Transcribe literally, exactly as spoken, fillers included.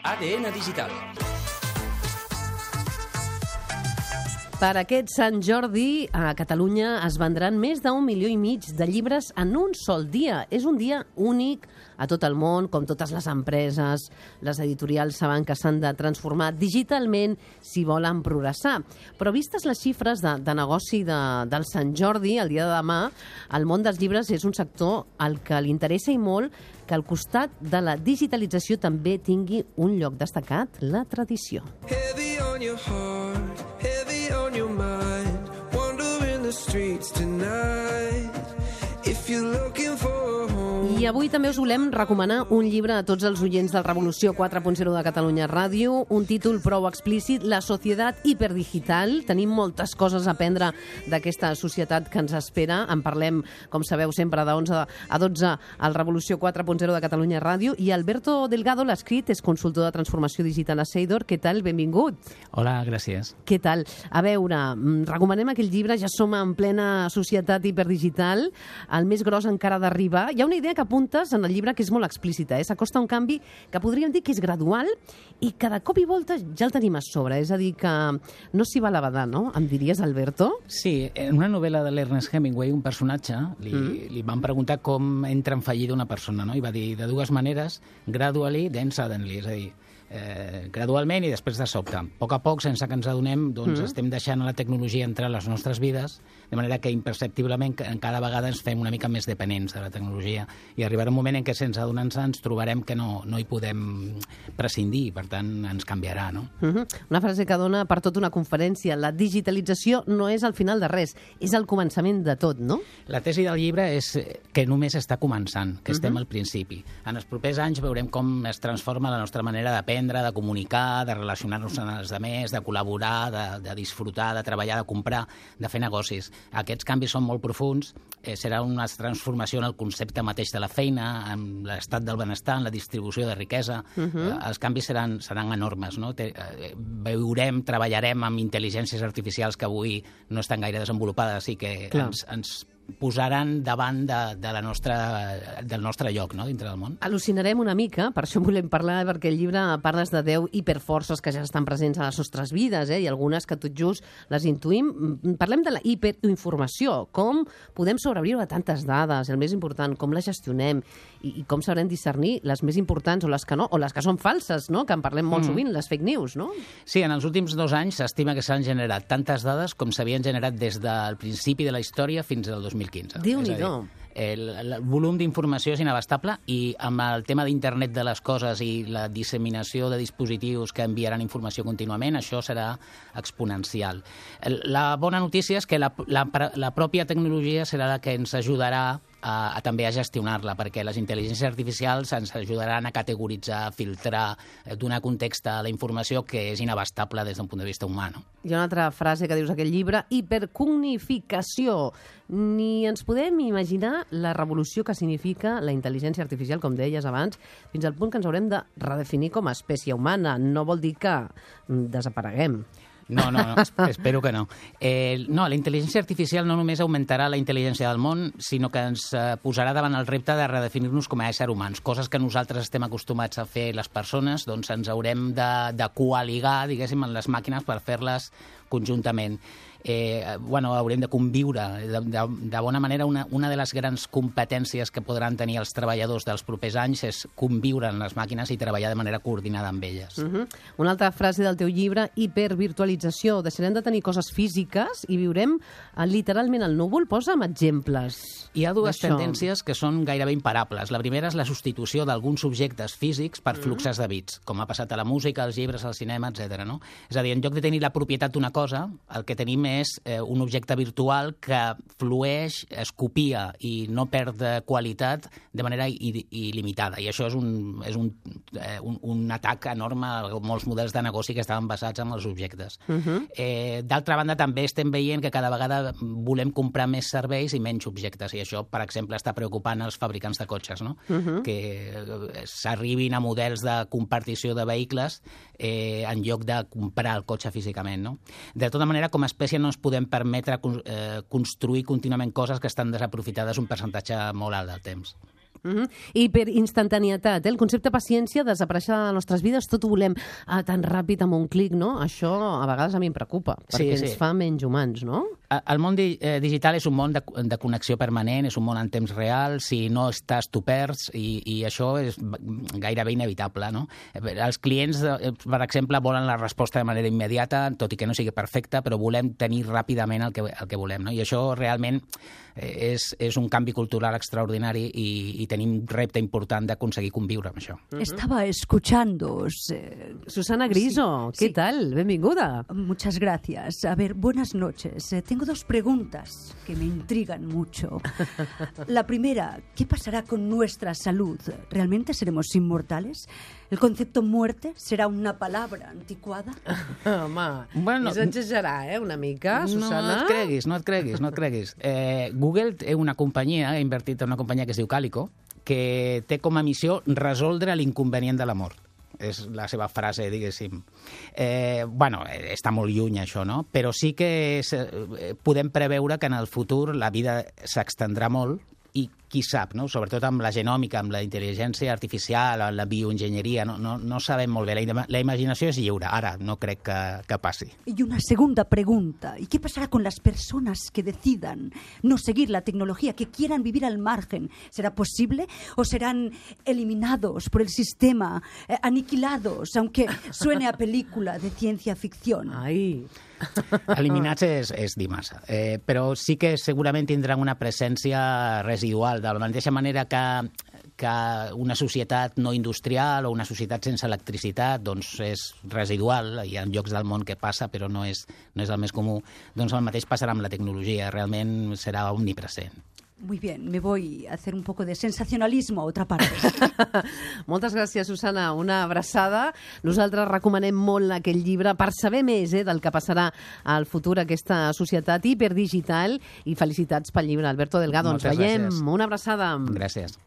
A D N Digital. Per aquest Sant Jordi, a Catalunya es vendran més d'un milió i mig de llibres en un sol dia. És un dia únic a tot el món, com totes les empreses. Les editorials saben que s'han de transformar digitalment si volen progressar. Però vistes les xifres de, de negoci de, del Sant Jordi, el dia de demà, el món dels llibres és un sector al que li interessa i molt que al costat de la digitalització també tingui un lloc destacat, la tradició. Heavy on your heart, heavy on your mind, wandering the streets tonight. If you're looking for a home. I avui també us volem recomanar un llibre a tots els oients del Revolució quatre punt zero de Catalunya Ràdio, un títol prou explícit, La societat hiperdigital. Tenim moltes coses a aprendre d'aquesta societat que ens espera. En parlem, com sabeu, sempre de onze a dotze al Revolució quatre punt zero de Catalunya Ràdio. I Alberto Delgado l'ha escrit, és consultor de transformació digital a Seidor. Què tal? Benvingut. Hola, gràcies. Què tal? A veure, recomanem aquell llibre, ja som en plena societat hiperdigital, el més gros encara d'arribar. Hi ha una idea que apuntes en el llibre que és molt explícita, eh? S'acosta un canvi que podríem dir que és gradual i que de cop i volta ja el tenim a sobre, és a dir, que no s'hi va a la badar, no? Em diries, Alberto? Sí, en una novel·la de l'Ernest Hemingway, un personatge, li, mm. li van preguntar com entra en fallida una persona, no? I va dir de dues maneres, gradually, then suddenly, és a dir, Eh, gradualment i després de sobte. A poc a poc, sense que ens adonem, doncs mm. estem deixant la tecnologia entrar a les nostres vides, de manera que imperceptiblement cada vegada ens fem una mica més dependents de la tecnologia i arribarà un moment en què sense adonar-nos ens trobarem que no, no hi podem prescindir, per tant ens canviarà, no? Mm-hmm. Una frase que dona per tota una conferència. La digitalització no és el final de res, és el començament de tot, no? La tesi del llibre és que només està començant, que estem mm-hmm. al principi. En els propers anys veurem com es transforma la nostra manera d'aprendre, de comunicar, de relacionar-nos amb els altres, de col·laborar, de, de disfrutar, de treballar, de comprar, de fer negocis. Aquests canvis són molt profuns, eh, serà una transformació en el concepte mateix de la feina, en l'estat del benestar, en la distribució de riquesa. Uh-huh. eh, els canvis seran, seran enormes, no? Te, eh, veurem, treballarem amb intel·ligències artificials que avui no estan gaire desenvolupades i que Clar. ens, ens posaran davant de, de la nostra, del nostre lloc, no?, dintre del món. Al·lucinarem una mica, per això en volem parlar, perquè el llibre parles de deu hiperforces que ja estan presents a les nostres vides, eh? I algunes que tot just les intuïm. Parlem de la hiperinformació, com podem sobreviure a tantes dades, el més important, com les gestionem i, i com sabrem discernir les més importants o les que no, o les que són falses, no?, que en parlem molt mm. sovint, les fake news, no? Sí, en els últims dos anys s'estima que s'han generat tantes dades com s'havien generat des del principi de la història fins al dos mil quinze. Déu-n'hi-do. El, el volum d'informació és inabastable i amb el tema d'internet de les coses i la disseminació de dispositius que enviaran informació contínuament, això serà exponencial. La bona notícia és que la, la, la pròpia tecnologia serà la que ens ajudarà a, a també a gestionar-la, perquè les intel·ligències artificials ens ajudaran a categoritzar, filtrar, donar context a la informació que és inabastable des d'un punt de vista humà. No? Hi ha una altra frase que dius aquell llibre, hipercognificació. Ni ens podem imaginar la revolució que significa la intel·ligència artificial, com deies abans, fins al punt que ens haurem de redefinir com a espècie humana. No vol dir que desapareguem. No, no, no, espero que no. Eh, no, la intel·ligència artificial no només augmentarà la intel·ligència del món, sinó que ens eh, posarà davant el repte de redefinir-nos com a éssers humans. Coses que nosaltres estem acostumats a fer les persones, doncs ens haurem de, de coaligar, diguéssim, en les màquines per fer-les conjuntament. Eh, bueno, haurem de conviure. De, de, de bona manera, una, una de les grans competències que podran tenir els treballadors dels propers anys és conviure en les màquines i treballar de manera coordinada amb elles. Uh-huh. Una altra frase del teu llibre, hipervirtualització. Deixarem de tenir coses físiques i viurem eh, literalment al núvol. Posa'm exemples. Hi ha dues tendències que són gairebé imparables. La primera és la substitució d'alguns objectes físics per fluxes de bits, com ha passat a la música, als llibres, al cinema, etcètera. No? És a dir, en lloc de tenir la propietat d'una cosa, el que tenim és eh, un objecte virtual que flueix, es copia i no perd qualitat de manera il·limitada. I això és un, és un, eh, un, un atac enorme a molts models de negoci que estaven basats en els objectes. Uh-huh. eh, D'altra banda, també estem veient que cada vegada volem comprar més serveis i menys objectes. I això, per exemple, està preocupant els fabricants de cotxes, no? Uh-huh. Que s'arribin a models de compartició de vehicles eh, en lloc de comprar el cotxe físicament, no? De tota manera, com a espècie no ens podem permetre eh, construir contínuament coses que estan desaprofitades un percentatge molt alt del temps. Uh-huh. I per instantanietat, eh? El concepte paciència desapareix de les nostres vides, tot ho volem ah, tan ràpid amb un clic, no? Això a vegades a mi em preocupa, perquè sí, sí. ens fa menys humans, no? El món di eh, digital és un món de, de connexió permanent, és un món en temps real, si no estàs tu perds, i, i això és gairebé inevitable, no? Els clients, eh, per exemple, volen la resposta de manera immediata, tot i que no sigui perfecta, però volem tenir ràpidament el que, el que volem, no? I això realment és, és un canvi cultural extraordinari i, i tenim repte important d'aconseguir conviure amb això. Uh-huh. Estaba escuchándoos. Eh... Susana Griso, sí, ¿qué sí. tal? Benvinguda. Muchas gracias. A ver, buenas noches. Eh, tengo dos preguntas que me intrigan mucho. La primera, ¿qué pasará con nuestra salud? ¿Realmente seremos inmortales? ¿El concepto muerte será una palabra antiquada? Home, bueno, és exagerar, eh, una mica, Susana? No et creguis, no et creguis, no et creguis. Eh, Google té una companyia, ha invertit en una companyia que es diu Calico, que té com a missió resoldre l'inconvenient de la mort. És la seva frase, diguéssim. Eh, bueno, està molt lluny, això, no? Però sí que és, eh, podem preveure que en el futur la vida s'extendrà molt i qui sap, no? Sobretot amb la genòmica, amb la intel·ligència artificial, amb la bioenginyeria, no, no, no sabem molt bé. La, la imaginació és lliure, ara no crec que, que passi. Y una segunda pregunta, ¿y qué pasará con las personas que decidan no seguir la tecnología, que quieran vivir al margen? ¿Será posible o serán eliminados por el sistema, eh, aniquilados, aunque suene a película de ciencia ficción? Ai... Eliminats és, és dir massa, eh, però sí que segurament tindran una presència residual, de la mateixa manera que, que una societat no industrial o una societat sense electricitat doncs és residual, hi ha llocs del món que passa però no és, no és el més comú, doncs el mateix passarà amb la tecnologia, realment serà omnipresent. Muy bien, me voy a hacer un poco de sensacionalismo a otra parte. Moltes gràcies, Susana. Una abraçada. Nosaltres recomanem molt aquest llibre per saber més eh, del que passarà al futur aquesta societat hiperdigital i felicitats pel llibre. Alberto Delgado, Moltes ens veiem. Gràcies. Una abraçada. Gràcies.